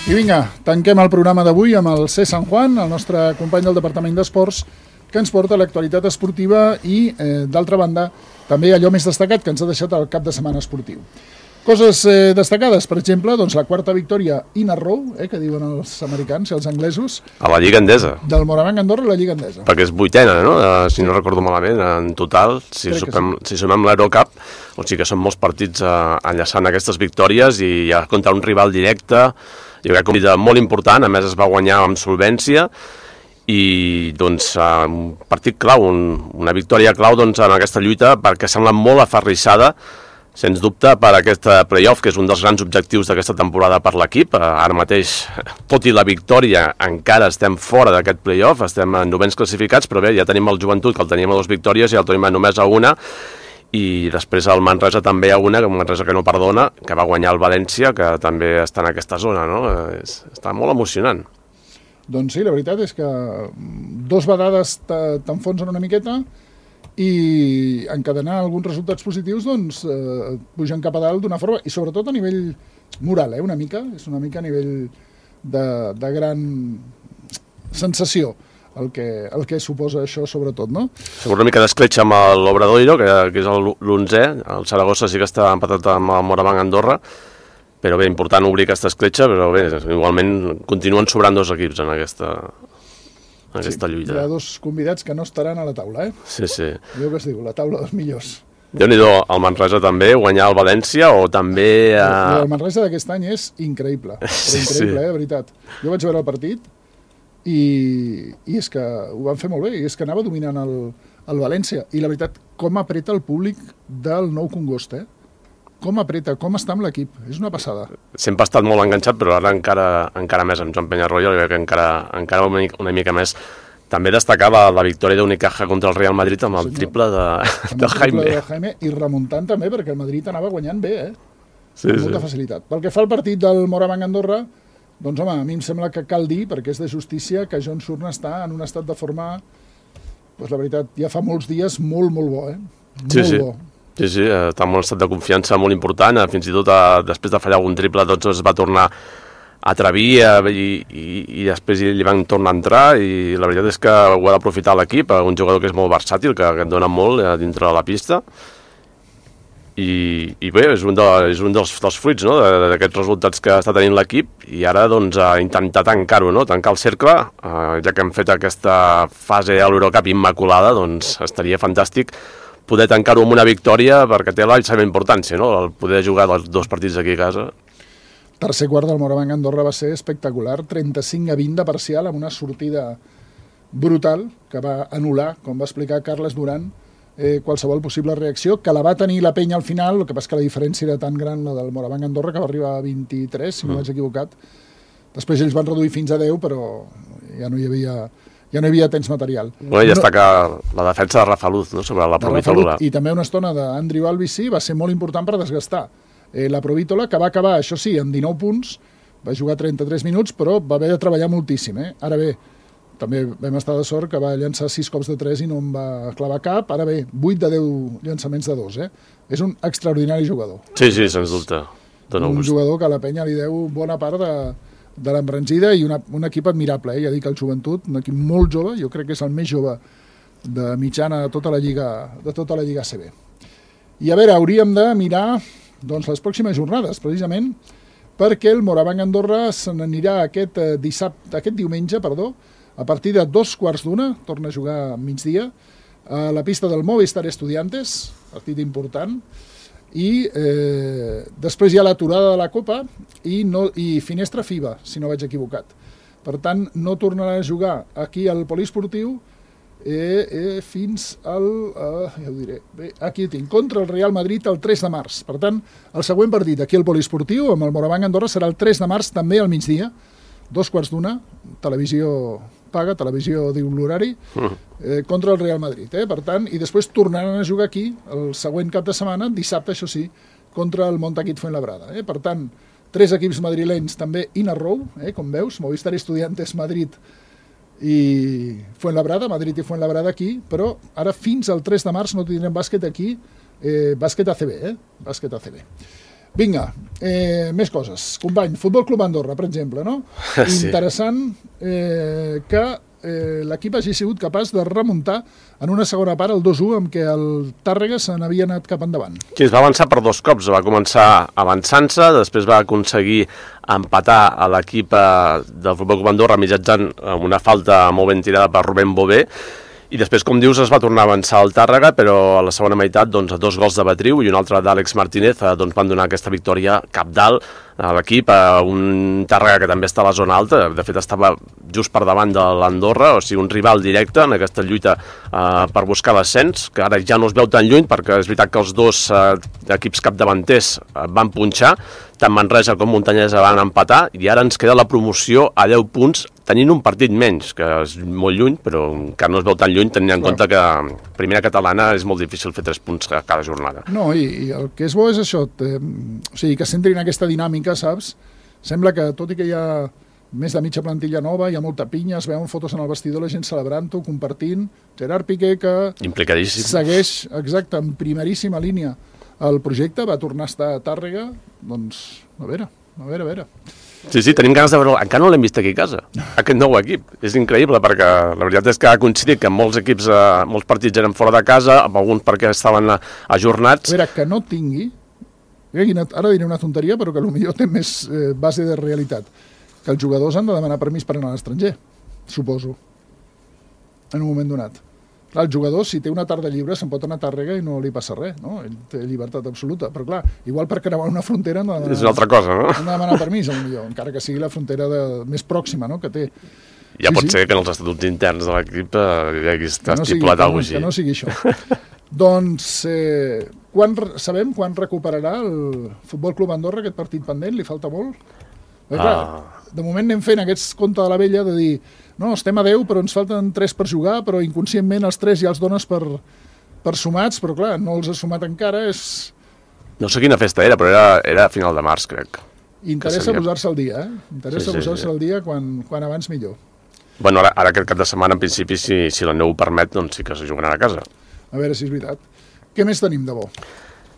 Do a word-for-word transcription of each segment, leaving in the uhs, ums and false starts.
I vinga, tanquem el programa d'avui amb el C. San Juan, el nostre company del Departament d'Esports, que ens porta l'actualitat esportiva i, eh, d'altra banda, també allò més destacat que ens ha deixat el cap de setmana esportiu. Coses eh, destacades, per exemple, doncs la quarta victòria in a row, eh, que diuen els americans i els anglesos. A la Lliga Endesa. Del Moraván Andorra a la Lliga Endesa. Perquè és vuitena, no? Uh, si no recordo malament, en total, si sumem, sí. si sumem l'Eurocup, o sigui que són molts partits uh, enllaçant aquestes victòries i ja contra un rival directe. Jo crec que un partit molt important, a més es va guanyar amb solvència i doncs un partit clau, un, una victòria clau doncs, en aquesta lluita perquè sembla molt aferrissada, sens dubte, per aquest play-off, que és un dels grans objectius d'aquesta temporada per l'equip. Ara mateix, tot i la victòria, encara estem fora d'aquest play-off, estem en novens classificats, però bé, ja tenim el Joventut, que el teníem a dues victòries, i el tenim només a una, i després el Manresa també a una, un Manresa que no perdona, que va guanyar el València, que també està en aquesta zona, no? És, està molt emocionant. Doncs sí, la veritat és que dos vegades t'enfonsen una miqueta i encadenar alguns resultats positius doncs eh, pugen cap a dalt d'una forma, i sobretot a nivell moral, eh, una mica, és una mica a nivell de, de gran sensació. El que, el que suposa això, sobretot, no? Segur una mica d'escletxa amb l'Obradoiro, que, que és l'onzè, el Saragossa sí que està empatat amb el Moraván Andorra, però bé, important obrir aquesta escletxa, però bé, igualment continuen sobrant dos equips en aquesta, en aquesta sí, lluita. Hi ha dos convidats que no estaran a la taula, eh? Sí, sí. Allò que es diu, la taula dels millors. Déu-n'hi-do, el Manresa també, guanyar el València, o també... Uh... El Manresa d'aquest any és increïble, però sí, increïble, sí. eh, de veritat. Jo vaig veure el partit, I, i és que ho van fer molt bé, i és que anava dominant el, el València, i la veritat, com apreta el públic del Nou Congost, eh? Com apreta, com està amb l'equip, és una passada. Sempre ha estat molt enganxat, però ara encara, encara més amb Joan Peñarroya, jo crec que encara, encara una, mica, una mica més. També destacar la, la victòria d'Unicaja contra el Real Madrid amb el sí, triple de, amb de el Jaime. Triple de Jaime. I remuntant també, perquè el Madrid anava guanyant bé, eh? Sí, amb molta sí. facilitat. Pel que fa al partit del Moraván Andorra, doncs home, a mi em sembla que cal dir, perquè és de justícia, que John Surna està en un estat de forma, doncs la veritat, ja fa molts dies molt, molt bo, eh? Molt sí, sí. bo. Sí, sí, està en un estat de confiança molt important, fins i tot a, després de fallar algun triple, doncs es va tornar a atrevir i, i, i després li van tornar a entrar, i la veritat és que ho ha d'aprofitar l'equip, un jugador que és molt versàtil, que, que et dona molt dintre de la pista, I, i bé, és un, de, és un dels, dels fruits, no?, d'aquests resultats que està tenint l'equip, i ara doncs a intentar tancar-ho, no?, tancar el cercle, eh, ja que hem fet aquesta fase a l'Eurocup immaculada, doncs estaria fantàstic poder tancar-ho amb una victòria, perquè té la seva importància, no?, el poder jugar els dos partits aquí a casa. Tercer quart del Moraván Andorra va ser espectacular, trenta-cinc a vint de parcial, amb una sortida brutal que va anul·lar, com va explicar Carles Duran, Eh, qualsevol possible reacció, que la va tenir la penya al final, el que passa que la diferència era tan gran, la del Moraván Andorra, que va arribar a vint-i-tres, si no mm. m'haig equivocat. Després ells van reduir fins a deu, però ja no hi havia, ja no hi havia temps material. Bueno, i destacar no, la defensa de Rafa Luz, no?, sobre la Provítola. I també una estona d'Andrew Albici va ser molt important per desgastar. Eh, la Provítola, que va acabar, això sí, amb dinou punts, va jugar trenta-tres minuts, però va haver de treballar moltíssim. Eh? Ara bé, també vam estar de sort que va llançar sis cops de tres i no em va clavar cap. Ara bé, vuit de deu llançaments de dos, eh? És un extraordinari jugador. Sí, sí, sens dubte. Dona un gust. jugador que a la penya li deu bona part de, de l'embranzida, i una, un equip admirable, eh? Ja dic, el Joventut, un equip molt jove, jo crec que és el més jove de mitjana de tota la Lliga, de tota la Lliga A C B. I a veure, hauríem de mirar doncs, les pròximes jornades, precisament, perquè el Moraván Andorra se n'anirà aquest, eh, dissabte, aquest diumenge, perdó, a partir de dos quarts d'una, torna a jugar a migdia, a la pista del Movistar Estudiantes, partit important, i eh, després hi ha l'aturada de la Copa i, no, i finestra FIBA, si no vaig equivocat. Per tant, no tornarà a jugar aquí al poliesportiu eh, eh, fins al... Eh, ja ho diré, bé, aquí ho tinc, contra el Real Madrid el tres de març. Per tant, el següent partit aquí al poliesportiu, amb el Moraván Andorra, serà el tres de març, també al migdia, dos quarts d'una, televisió paga, televisió diu l'horari, eh, contra el Real Madrid. Eh? Per tant, i després tornaran a jugar aquí el següent cap de setmana, dissabte, això sí, contra el Montaquit Fuenlabrada. Eh? Per tant, tres equips madrilenys també in a row, eh? Com veus, Movistar Estudiantes, Madrid i Fuenlabrada, Madrid i Fuenlabrada aquí, però ara fins al tres de març no tindrem bàsquet aquí, eh, bàsquet A C B, eh? Bàsquet A C B. Vinga, eh, més coses. Company, Futbol Club Andorra, per exemple, no? Sí. Interessant eh, que eh, l'equip hagi sigut capaç de remuntar en una segona part el dos a u amb què el Tàrrega se n'havia anat cap endavant. Sí, es va avançar per dos cops. Va començar avançant-se, després va aconseguir empatar a l'equip del Futbol Club Andorra mitjançant una falta molt ben tirada per Rubén Bové, i després, com dius, es va tornar a avançar el Tàrrega, però a la segona meitat, doncs, dos gols de Betriu i un altre d'Àlex Martínez doncs, van donar aquesta victòria capdalt a l'equip, a un Tàrrega que també està a la zona alta, de fet estava just per davant de l'Andorra, o sigui, un rival directe en aquesta lluita eh, per buscar l'ascens, que ara ja no es veu tan lluny, perquè és veritat que els dos eh, equips capdavanters eh, van punxar, tant Manresa com Montanyesa van empatar, i ara ens queda la promoció a deu punts, tenint un partit menys, que és molt lluny, però encara no es veu tan lluny, tenint en compte que primera catalana és molt difícil fer tres punts a cada jornada. No, i, i el que és bo és això, te, o sigui, que s'entrin en aquesta dinàmica, saps? Sembla que, tot i que hi ha més de mitja plantilla nova, hi ha molta pinya, es veuen fotos en el vestidor, la gent celebrant-ho, compartint. Gerard Piqué, que implicadíssim, segueix, exacte, en primeríssima línia el projecte, va tornar a estar a Tàrrega, doncs, a veure, a veure, a veure. Sí, sí, tenim ganes de veure... Encara no l'hem vist aquí a casa, aquest nou equip. És increïble, perquè la veritat és que ha coincidit que molts equips, eh, molts partits eren fora de casa, amb alguns perquè estaven ajornats. A veure, que no tingui... Ara diré una tonteria, però que potser té més eh, base de realitat. Que els jugadors han de demanar permís per anar a l'estranger, suposo, en un moment donat. Clar, el jugador, si té una tarda lliure, se'n pot anar a Tàrrega i no li passa res, no? Ell té llibertat absoluta, però clar, igual per creuar una frontera han de demanar, és una altra cosa, no? Han de demanar permís, potser, encara que sigui la frontera de, més pròxima, no?, que té. Ja sí, pot sí. ser que en els estatuts interns de l'equip eh, hi hagi estat no estipulat alguna cosa així. Que no sigui això. Doncs, eh, quan, sabem quan recuperarà el Futbol Club Andorra aquest partit pendent? Li falta molt? Perquè, clar, Ah. de moment anem fent aquests conte de la vella de dir no, estem a deu, però ens falten tres per jugar, però inconscientment els tres ja els dones per, per sumats, però clar, no els has sumat encara, és... No sé quina festa era, però era, era a final de març, crec. Interessa seria... posar-se al dia, eh? Interessa Sí, sí, posar-se sí. al dia quan, quan abans millor. Bueno, ara, ara aquest cap de setmana, en principi, si, si la neu ho permet, doncs sí que se jugaran a casa. A veure si és veritat. Què més tenim de bo?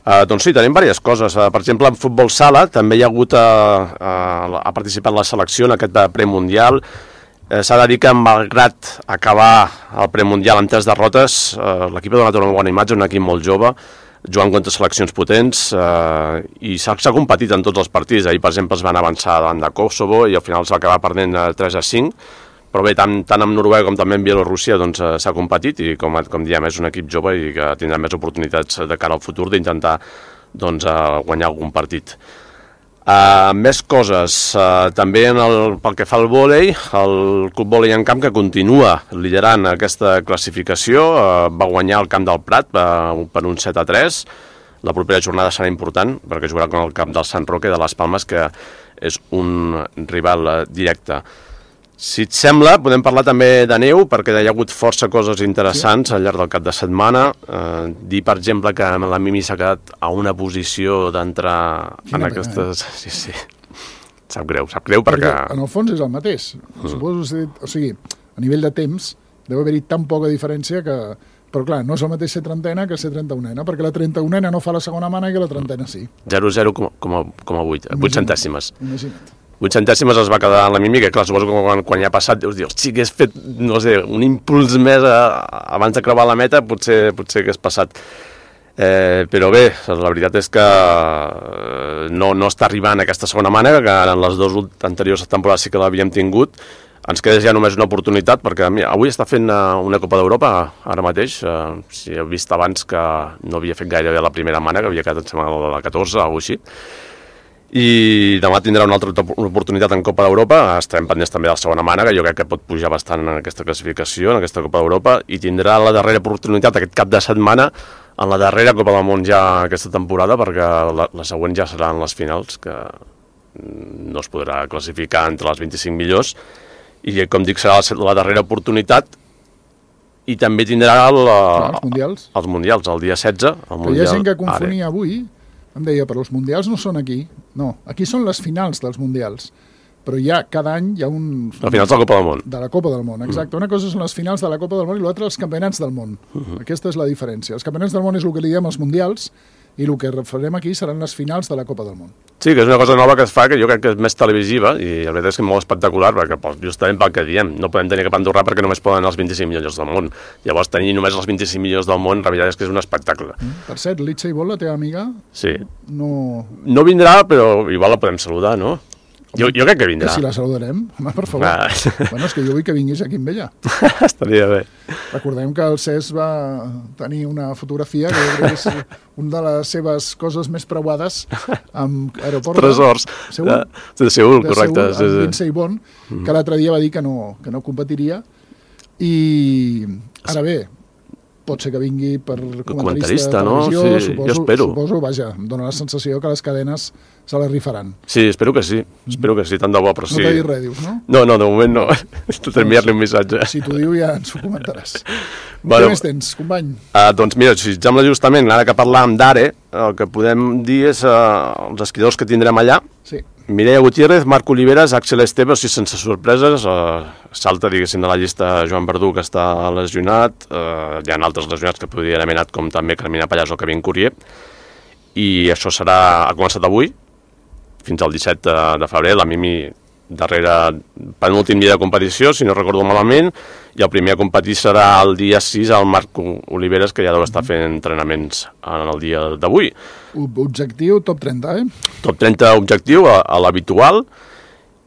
Uh, doncs sí, tenim diverses coses. Uh, per exemple, en futbol sala també hi ha hagut, uh, uh, ha participat la selecció en aquest premundial. Uh, S'ha de dir que, malgrat acabar el premundial amb tres derrotes, uh, l'equip ha donat una bona imatge, un equip molt jove, jugant contra seleccions potents, uh, i s'ha competit en tots els partits. Ahir, per exemple, es van avançar davant de Kosovo i al final es va acabar perdent uh, tres a cinc. Però bé, tant, tant amb Noruega com també amb Bielorússia doncs, eh, s'ha competit i, com, com diem, és un equip jove i que tindrà més oportunitats de cara al futur d'intentar doncs, eh, guanyar algun partit. Uh, més coses. Uh, també en el, pel que fa al vòlei, el Club Vòlei en Camp, que continua liderant aquesta classificació, uh, va guanyar el Camp del Prat uh, per un set a tres. La propera jornada serà important perquè jugarà con el camp del Sant Roque de les Palmes, que és un rival uh, directe. Si et sembla, podem parlar també de neu, perquè hi ha hagut força coses interessants sí. al llarg del cap de setmana. Eh, dir, per exemple, que la Mimi s'ha quedat a una posició d'entrar en aquestes... Eh? Sí, sí. Sap greu, sap greu perquè... perquè... En el fons és el mateix. Mm. Suposo, o sigui, a nivell de temps, deu haver-hi tan poca diferència que... Però clar, no és el mateix ser trentena que ser trenta-unena, perquè la trenta-unena no fa la segona mana i que la trentena sí. zero zero coma vuit, vuit centèsimes. Imagina't. vuit centèsimes es va quedar en la Mimi, que clar, suposo que quan, quan ja ha passat, dius, dius, sí, que has fet, no sé, un impuls més a, abans de creuar la meta, potser, potser que has passat. Eh, però bé, la veritat és que no, no està arribant aquesta segona mànega, que en les dues anteriors temporades sí que l'havíem tingut. Ens queda ja només una oportunitat, perquè mira, avui està fent una Copa d'Europa, ara mateix. Eh, si heu vist abans que no havia fet gairebé la primera mànega, havia quedat, em sembla, la catorze o alguna cosa així. I demà tindrà una altra oportunitat en Copa d'Europa. Estarem pendents també de la segona mànega, jo crec que pot pujar bastant en aquesta classificació, en aquesta Copa d'Europa, i tindrà la darrera oportunitat aquest cap de setmana en la darrera Copa del Món ja aquesta temporada, perquè la, la següent ja seran les finals, que no es podrà classificar entre les vint-i-cinc millors, i com dic, serà la, la darrera oportunitat, i també tindrà el, Clar, els mundials. els mundials, el dia setze. El mundial, hi ha gent que confonia avui, em deia, però els mundials no són aquí. No, aquí són les finals dels mundials. Però ja cada any hi ha un... Les finals de la Copa del Món. De la Copa del Món, exacte. Mm. Una cosa són les finals de la Copa del Món i l'altra els campionats del món. Uh -huh. Aquesta és la diferència. Els campionats del món és el que li diem els mundials i el que farem aquí seran les finals de la Copa del Món. Sí, que és una cosa nova que es fa, que jo crec que és més televisiva, i la veritat és que és molt espectacular, perquè justament pel que diem, no podem tenir cap Andorrà perquè només poden els vint-i-cinc millors del món. Llavors, tenir només els vint-i-cinc millors del món, la veritat és que és un espectacle. Mm. Per cert, Litsa i Vol, la teva amiga, sí. no... No vindrà, però igual la podem saludar, no? Jo, jo crec que vindrà. Que si la saludarem, home, per favor. Ah. Bueno, és que jo vull que vinguis aquí amb ella. Estaria bé. Recordem que el Cesc va tenir una fotografia que jo crec que és una de les seves coses més preuades amb aeroport. Tresors. De Seül, de, de Seül, correcte. De Seül, amb Lindsey Vonn, mm. que l'altre dia va dir que no, que no competiria. I ara bé, pot ser que vingui per comentarista, comentarista de televisió, no? Sí, suposo, jo espero. Suposo, vaja, em dóna la sensació que les cadenes se la rifaran. Sí, espero que sí, espero que sí, tant de bo, però no sí. No t'ha dit res, dius, no? No, no, de moment no, t'he d'enviar-li un missatge. Si t'ho diu ja ens ho comentaràs. Bueno, què més tens, company? Uh, doncs mira, si et sembla justament, ara que parlàvem d'Are, el que podem dir és uh, els esquiadors que tindrem allà. Sí. Mireia Gutiérrez, Marc Oliveras, Axel Esteve, o sigui, sense sorpreses, uh, salta, diguéssim, de la llista Joan Verdú, que està lesionat, uh, hi ha altres lesionats que podrien haver anat, com també Carmina Pallàs o Kevin Courier, i això serà, ha començat avui, fins al disset de, de febrer, la Mimi darrere penúltim dia de competició, si no recordo malament, i el primer a competir serà el dia sis al Marc Oliveras, que ja deu estar fent entrenaments en el dia d'avui. Objectiu top trenta, eh? Top trenta objectiu, a, a l'habitual,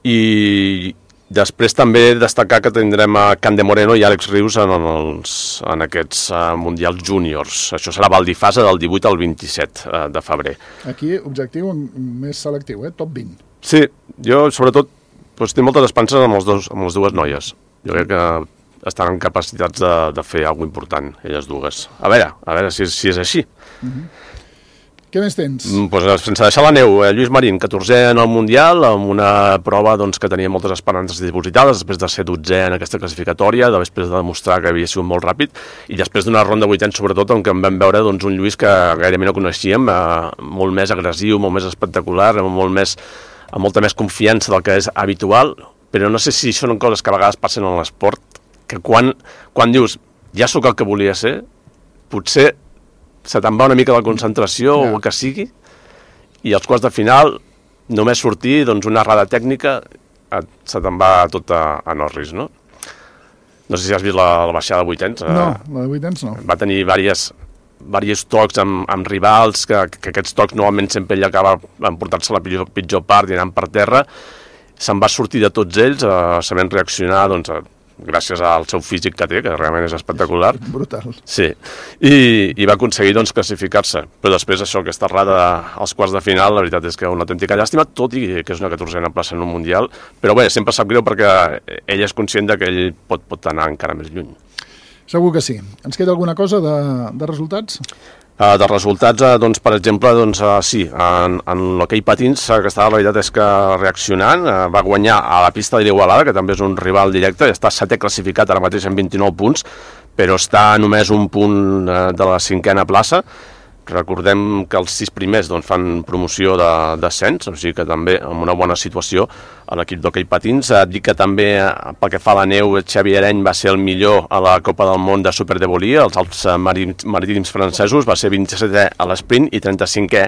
i després també destacar que tindrem a Cande Moreno i Àlex Rius en, els, en aquests uh, Mundials Júniors. Això serà Val d'Ifasa del divuit al vint-i-set uh, de febrer. Aquí, objectiu més selectiu, eh? Top vint. Sí, jo sobretot doncs, tinc moltes esperances amb, els dos, amb les dues noies. Jo crec que estan en capacitats de, de fer alguna cosa important, elles dues. A veure, a veure si, si és així. Uh-huh. Què més tens? Mm, doncs, sense deixar la neu, eh, Lluís Marín, catorzè en el Mundial, amb una prova doncs, que tenia moltes esperances dipositades, després de ser dotzè en aquesta classificatòria, després de demostrar que havia sigut molt ràpid, i després d'una ronda vuitens, sobretot, on en vam veure doncs, un Lluís que gairebé no coneixíem, eh, molt més agressiu, molt més espectacular, molt més, amb molta més confiança del que és habitual, però no sé si són coses que a vegades passen en l'esport, que quan, quan dius, ja sóc el que volia ser, potser se te'n va una mica de la concentració yeah. o el que sigui, i als quarts de final, només sortir, doncs una errada tècnica, et, se te'n va tot a, a Norris, no? No sé si has vist la, la baixada de vuitens. No, eh, la de vuitens no. Va tenir diverses, diversos tocs amb, amb rivals, que, que aquests tocs normalment sempre ell acaba emportant-se la pitjor, pitjor part i anant per terra. Se'n va sortir de tots ells, eh, sabent reaccionar, doncs, a, gràcies al seu físic que té, que realment és espectacular. Brutal. Sí, i, i va aconseguir doncs, classificar-se. Però després això, aquesta errada als quarts de final, la veritat és que una autèntica llàstima, tot i que és una catorzena plaça en un Mundial, però bé, sempre sap greu perquè ell és conscient de que ell pot, pot anar encara més lluny. Segur que sí. Ens queda alguna cosa de, de resultats? Uh, de resultats, uh, doncs, per exemple, doncs, uh, sí, en, en l'hoquei patins, uh, que estava, la veritat és que reaccionant, uh, va guanyar a la pista d'Igualada, que també és un rival directe, està setè classificat ara mateix amb vint-i-nou punts, però està només un punt uh, de la cinquena plaça. Recordem que els sis primers doncs, fan promoció d'ascens, o sigui que també amb una bona situació a l'equip d'hoquei patins. Et dic que també, pel que fa a la neu, Xavi Areny va ser el millor a la Copa del Món de Superdevolia, els alts marítims francesos, va ser vint-i-setè a l'esprint i trenta-cinquè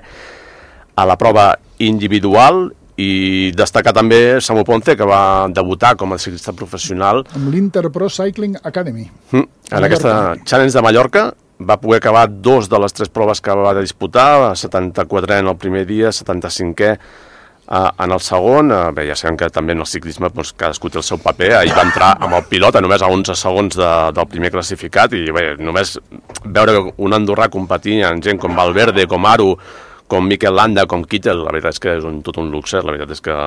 a la prova individual, i destacar també Samu Ponce, que va debutar com a ciclista professional amb l'Interpro Cycling Academy. Mm, en aquesta Challenge de Mallorca. Va poder acabar dos de les tres proves que va disputar, setanta-quatre en el primer dia, setanta-cinquè en el segon. Bé, ja sabem que també en el ciclisme doncs, cadascú té el seu paper. Ahir va entrar amb el pilot a només a onze segons de, del primer classificat, i bé, només veure un andorrà competir en gent com Valverde, com Aru, com Mikel Landa, com Kittel, la veritat és que és un, tot un luxe. La veritat és que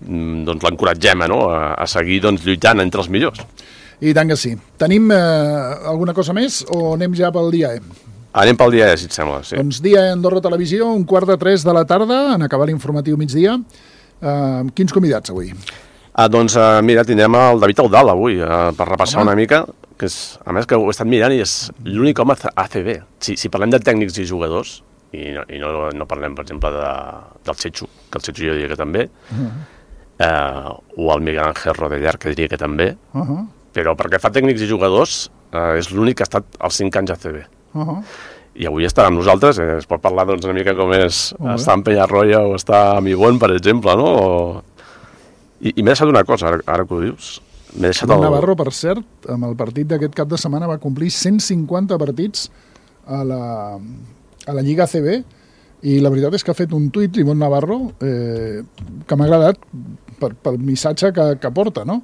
doncs, l'encoratgem no? a, a seguir doncs, lluitant entre els millors. I tant que sí. Tenim eh, alguna cosa més o anem ja pel dia E? Anem pel dia E, si et sembla, sí. Doncs dia E Andorra Televisió, un quart de tres de la tarda, en acabar l'informatiu migdia. Eh, quins convidats avui? Ah, doncs uh, mira, tindrem el David Eudal avui, uh, per repassar home. una mica, que és, a més que ho he estat mirant i és l'únic home A C B. Si, si parlem de tècnics i jugadors, i no, i no, no parlem, per exemple, de, del Chechu, que el Chechu jo diria que també, uh-huh. uh, o el Miguel Ángel Rodellar, que diria que també, uh-huh. però perquè fa tècnics i jugadors eh, és l'únic que ha estat els cinc anys a C B. Uh-huh. i avui estarà amb nosaltres, eh, es pot parlar doncs, una mica com és estar en Penyarroia o estar a Mibon, per exemple, no? O... I, i m'he deixat una cosa, ara, ara que ho dius. M'he deixat el... Navarro, per cert, amb el partit d'aquest cap de setmana va complir cent cinquanta partits a la, a la Lliga A C B, i la veritat és que ha fet un tuit, Ivonne Navarro, eh, que m'ha agradat per, pel missatge que, que porta, no?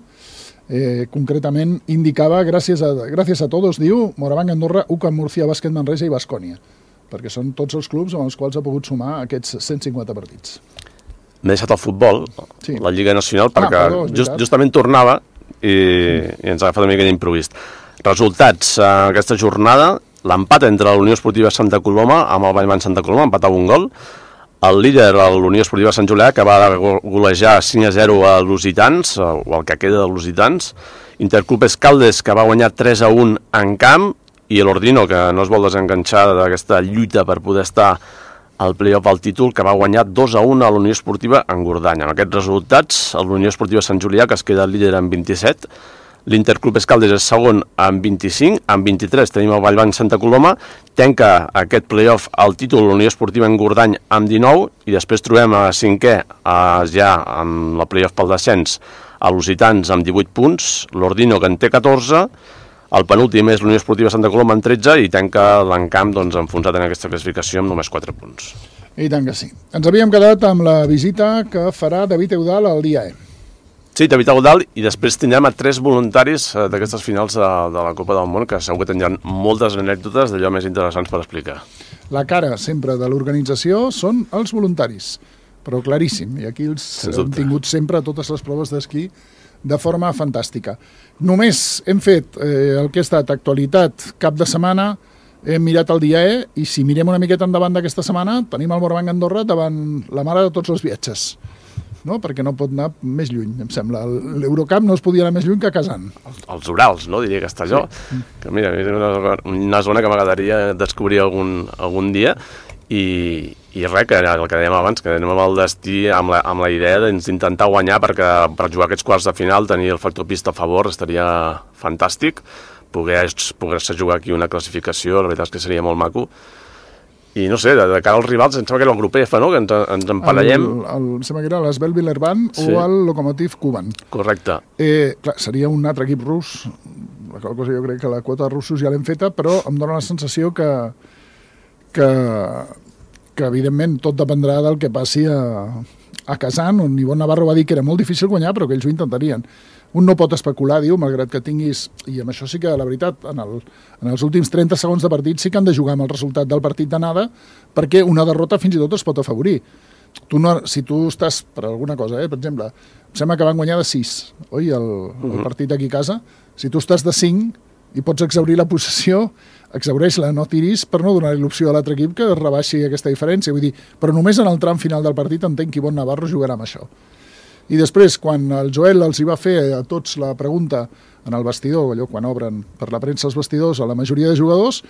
Eh, concretament indicava gràcies a, gràcies a todos, diu Morabanc Andorra, U C A M Murcia, Bàsquet Manresa i Baskonia, perquè són tots els clubs amb els quals ha pogut sumar aquests cent cinquanta partits. M'he deixat el futbol, sí. La Lliga Nacional, perquè ah, perdó, just, justament tornava i, i ens ha agafat una mica d'improvist. Resultats, eh, aquesta jornada, l'empat entre la Unió Esportiva Santa Coloma amb el Vallman Santa Coloma, empatava un gol. El líder, la Unió Esportiva Sant Julià, que va golejar cinc a zero a l'Lusitans, o el que queda de l'Lusitans. Interclub Escaldes, que va guanyar tres a un en camp, i l'Ordino, que no es vol desenganxar d'aquesta lluita per poder estar al play-off al títol, que va guanyar dos a un a la Unió Esportiva Engordany. Amb aquests resultats, la Unió Esportiva Sant Julià, que es queda líder amb vint-i-set, l'Interclub Escaldes és segon amb vint-i-cinc, amb vint-i-tres tenim el Vallbanc Santa Coloma, tanca aquest play-off al títol la Unió Esportiva Engordany amb dinou, i després trobem a cinquè, a, ja amb el play-off pel descens, a Lusitans amb divuit punts, l'Ordino que en té catorze, el penúltim és l'Unió Esportiva Santa Coloma amb tretze, i tanca l'Encamp doncs, enfonsat en aquesta classificació amb només quatre punts. I tant que sí. Ens havíem quedat amb la visita que farà David Eudal al dia E. Sí, David Eudal, i després tindrem a tres voluntaris d'aquestes finals de, de la Copa del Món, que segur que tindran moltes anècdotes d'allò més interessants per explicar. La cara sempre de l'organització són els voluntaris, però claríssim, i aquí els hem tingut sempre totes les proves d'esquí de forma fantàstica. Només hem fet eh, el que ha estat actualitat cap de setmana, hem mirat el dia E, i si mirem una miqueta endavant d'aquesta setmana, tenim el Morabanc Andorra davant la mare de tots els viatges. No? Perquè no pot anar més lluny, em sembla. L'Eurocup no es podia anar més lluny que Kazan. Els Urals, no? Diria Castelló. Sí. Que mira, és una, una zona que m'agradaria descobrir algun, algun dia, i, i res, que el que dèiem abans, que anem amb el destí amb la, amb la idea d'intentar guanyar, perquè per jugar aquests quarts de final, tenir el factor pista a favor estaria fantàstic, poder-se poder jugar aquí una classificació, la veritat és que seria molt maco. I no sé, de, de cara als rivals, em sembla que era el grup F, no?, que ens, ens emparellem. El, el, em sembla que era l'Esbel Villerban, sí, o el Lokomotiv Kuban. Correcte. Eh, clar, seria un altre equip rus, la qual cosa jo crec que la quota de russos ja l'hem feta, però em dóna la sensació que, que, que evidentment tot dependrà del que passi a, a Kazan, on Ivonne Navarro va dir que era molt difícil guanyar, però que ells ho intentarien. Un no pot especular, diu, malgrat que tinguis... I amb això sí que, la veritat, en, el, en els últims trenta segons de partit sí que han de jugar amb el resultat del partit d'anada, perquè una derrota fins i tot es pot afavorir. Tu no, si tu estàs, per alguna cosa, eh, per exemple, em sembla que van guanyar de sis, oi, el, el partit aquí a casa, si tu estàs de cinc i pots exaurir la possessió, exaureix-la, no tiris per no donar-li l'opció a l'altre equip que rebaixi aquesta diferència. Vull dir, però només en el tram final del partit entenc que Ivonne Navarro jugarà amb això. I després, quan el Joel els hi va fer a tots la pregunta en el vestidor, allò quan obren per la premsa els vestidors a la majoria de jugadors,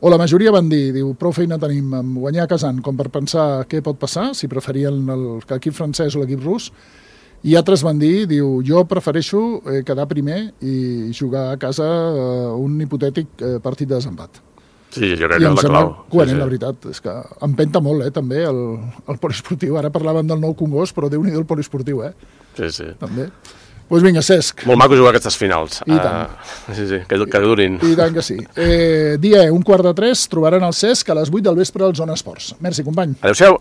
o la majoria van dir, diu, prou feina tenim amb guanyar a Kazan com per pensar què pot passar, si preferien l'equip francès o l'equip rus, i altres van dir, diu, jo prefereixo eh, quedar primer i jugar a casa eh, un hipotètic eh, partit de desempat. Sí, jo crec que és la clau. Coherent, sí, sí. La veritat, és que empenta molt, eh, també, el, el poliesportiu. Ara parlàvem del nou Congost, però Déu-n'hi-do el poliesportiu, eh? Sí, sí. També. Doncs pues vinga, Cesc. Molt maco jugar aquestes finals. I tant. Uh, sí, sí, que, que durin. I tant que sí. Eh, dia un quart de tres, trobaran el Cesc a les vuit del vespre al Zona Esports. Merci, company. Adéu-siau.